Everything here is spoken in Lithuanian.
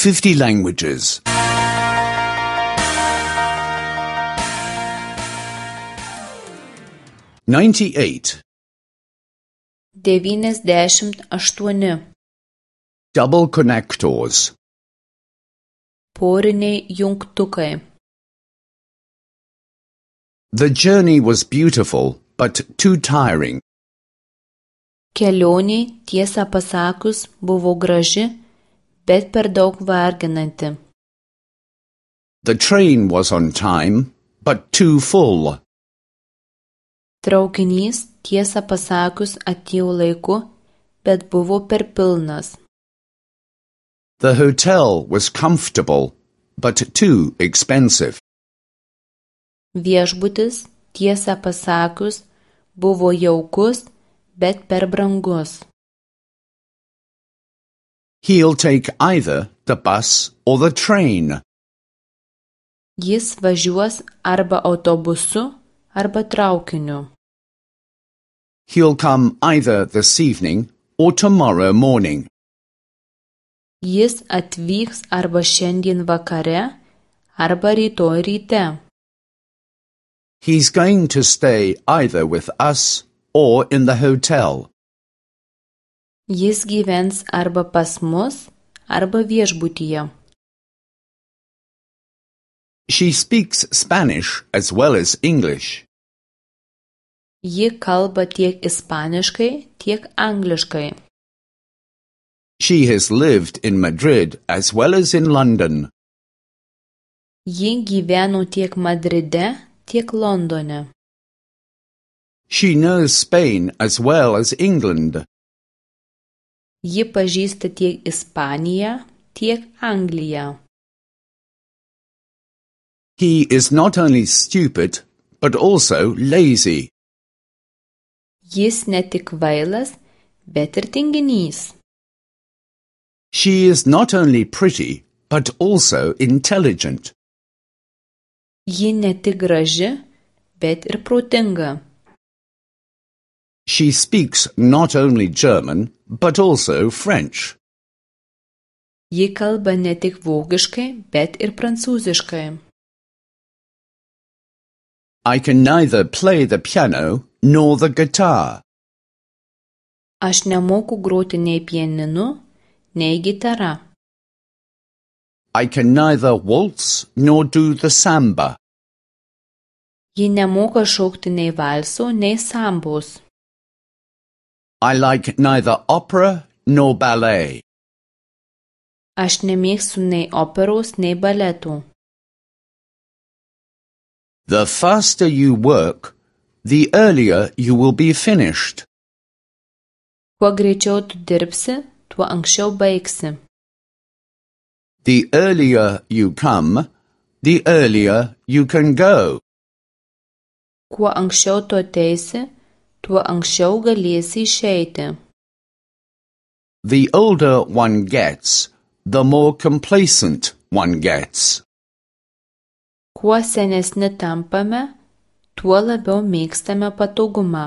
50 languages. 98. 98. Double connectors. Poriniai jungtukai. The journey was beautiful, but too tiring. Kelionė, tiesą pasakius, buvo graži, bet per daug varginanti. The train was on time, but too full. Traukinys, tiesą pasakius, atėjo laiku, bet buvo per pilnas. The hotel was comfortable, but too expensive. Viešbutis, tiesą pasakius, buvo jaukus, bet per brangus. He'll take either the bus or the train. Jis važiuos arba autobusu, arba traukiniu. He'll come either this evening or tomorrow morning. Jis atvyks arba šiandien vakare, arba rytoj ryte. He's going to stay either with us or in the hotel. Jis gyvens arba pas mus, arba viešbutyje. She speaks Spanish as well as English. Ji kalba tiek ispaniškai, tiek angliškai. She has lived in Madrid as well as in London. Ji gyveno tiek Madride, tiek Londone. She knows Spain as well as England. Ji pažįsta tiek Ispaniją, tiek Angliją. He is not only stupid, but also lazy. Jis ne tik kvailas, bet ir tinginys. She is not only pretty, but also intelligent. Ji ne tik graži, bet ir protinga. She speaks not only German, but also French. Ji kalba ne tik vokiškai, bet ir prancūziškai. I can neither play the piano nor the guitar. Aš nemoku groti nei pianinu, nei gitara. I can neither waltz nor do the samba. Ji nemoka šokti nei valso, nei sambos. I like neither opera nor ballet. Aš nemėgstu nei operos, nei baletų. The faster you work, the earlier you will be finished. Kuo greičiau tu dirbsi, tuo anksčiau baigsi. The earlier you come, the earlier you can go. Kuo anksčiau tu ateisi, tuo anksčiau galėsi išeiti. The older one gets, the more complacent one gets. Kuo senesni tampame, tuo labiau mėgstame patogumą.